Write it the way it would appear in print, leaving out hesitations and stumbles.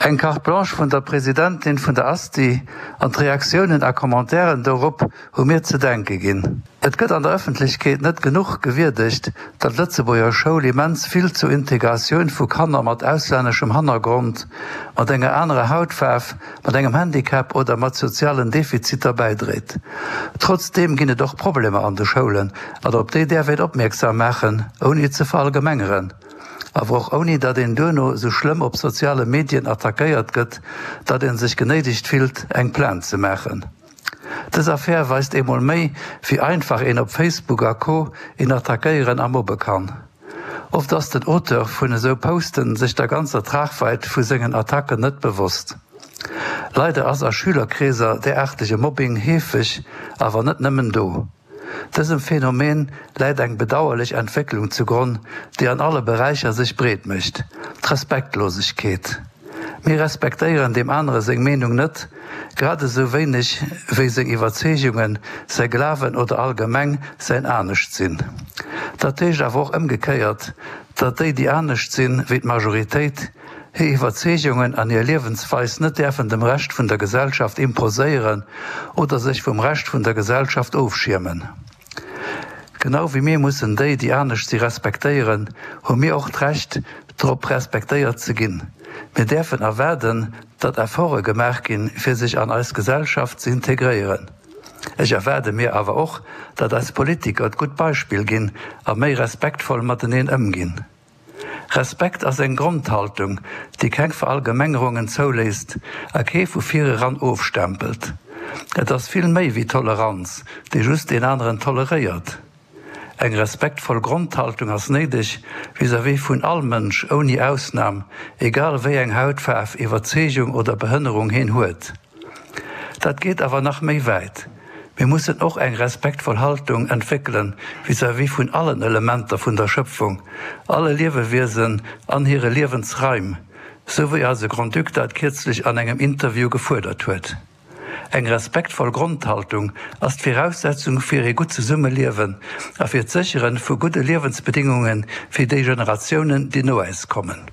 Eng Carte blanche vun der Presidentin vun der Asti an d'Reaktiounen a Commentairen dorop hu mir ze denke ginn. Et gëtt an der Ëffentlechkeet net genuch gewierdegt, datt d'Lëtzebuerger Schoul immens vill zur Integratioun vu Kanner mat auslänneschem Hannergrond, mat enger anerer Hautfaarf, mat engem Handicap oder mat sozialen Defiziter bäidréit. Trotzdeem ginn et och Problemer an de Schoulen an op déi däerf een opmierksam maachen, ouni ze verallgemengeren. Awer och ouni datt een duerno sou schlëmm op soziale Medien attackéiert gëtt, datt een sech genéidegt fillt, eng Plainte ze maachen. Dës Affär weist eemol méi, wéi einfach een op Facebook a Co. Een attackéieren a mobbe kann. Oft ass den Auteur vun esou Posten sech der ganzer Tragweit vu sengen Attacken net bewosst. Leider ass a Schülerkreeser däraartege Mobbing heefeg, awer net nëmmen do. Dësem Phänomen läit eng bedauerlech Entwécklung zugronn, déi an alle Beräicher sech breet mécht, d'Respektlosegkeet. Mir respektéieren deem anere seng Meenung net, grad esou wéineg wéi seng Iwwerzeegungen, säi Glawen oder allgemeng säin Aneschtsinn. Dat heescht awer och ëmgekéiert, datt déi, déi anescht sinn wéi d'Majoritéit, hir Iwwerzeegungen an hir Liewensweis net däerfen dem Rescht vun der Gesellschaft imposéieren oder sech vum Rescht vun der Gesellschaft ofschiermen. Genau wéi mir mussen déi, déi anescht si respektéieren, hu mir och d'Recht drop respektéiert ze ginn. Mir däerfen erwaarden, datt Efforte gemaach ginn, fir sech an eis Gesellschaft ze integréieren. Ech erwaarde mir awer och, datt eis Politiker d'gutt Beispill ginn a méi respektvoll mateneen ëmginn. Respekt ass eng Grondhaltung, déi keng Verallgemengerungen zouléisst a kee vu vireran ofstempelt. Et ass vill méi wéi Toleranz, déi just deen aneren toleréiert. Eng respektvoll Grondhaltung ass néideg vis-à-vis vun all Mënsch ouni Ausnam, egal wéi eng Hautfaarf, Iwwerzeegung oder Behënnerung heen huet. Dat geet awer nach méi wäit. Mir mussen och eng respektvoll Haltung entwéckelen vis-à-vis vun allen Elementer vun der Schëpfung, alle Liewewiesen an hire Liewensraim, sou wéi eise Grand-Duc dat kierzlech an engem Interview gefuerdert huet. Eng respektvoll Grondhaltung ass d'Viraussetzung fir ee gutt Zesummeliewen a fir d'Sécheren vu gudde Liewensbedingunge fir déi Generatiounen, déi no äis kommen.